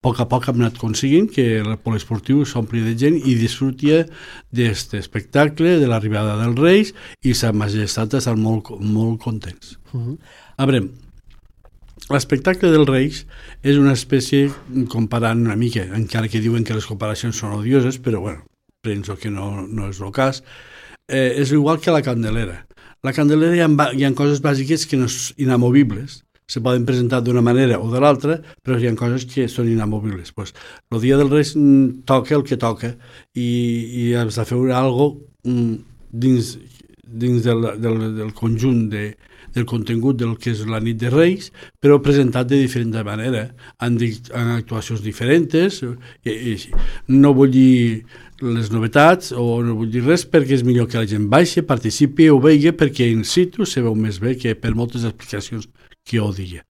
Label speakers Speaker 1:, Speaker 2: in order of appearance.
Speaker 1: poc a poc hem anat aconseguint que el poliesportiu s'ompli de gent i disfruti d'aquest espectacle, de l'arribada dels Reis, i sa majestat estan molt, molt contents. A veure, l'espectacle dels Reis és una espècie, comparant una mica, encara que diuen que les comparacions són odioses, però bueno, penso que no és el cas, és igual que la Candelera. La Candelera hi ha coses bàsiques que no són inamovibles, se poden presentar d'una manera o de l'altra, però hi ha coses que són inamovibles. Pues, el dia dels Reis toca el que toca i has de fer alguna cosa dins del conjunt del contingut del que és la nit de Reis, però presentat de diferent manera, en actuacions diferents. No vull dir les novetats o no vull dir res, perquè és millor que la gent baixi, participi o vegi, perquè in situ se veu més bé que per moltes explicacions que jo digui.